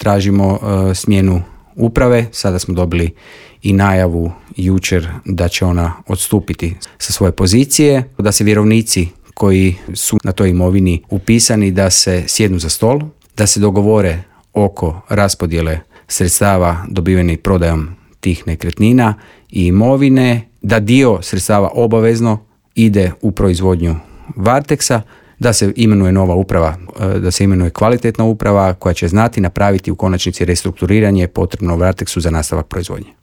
tražimo smjenu uprave. Sada smo dobili i najavu jučer da će ona odstupiti sa svoje pozicije, da se vjerovnici koji su na toj imovini upisani da se sjednu za stol, da se dogovore oko raspodjele sredstava dobivenih prodajom tih nekretnina i imovine, da dio sredstava obavezno ide u proizvodnju Varteksa, da se imenuje nova uprava, da se imenuje kvalitetna uprava koja će znati napraviti u konačnici restrukturiranje potrebno Varteksu za nastavak proizvodnje.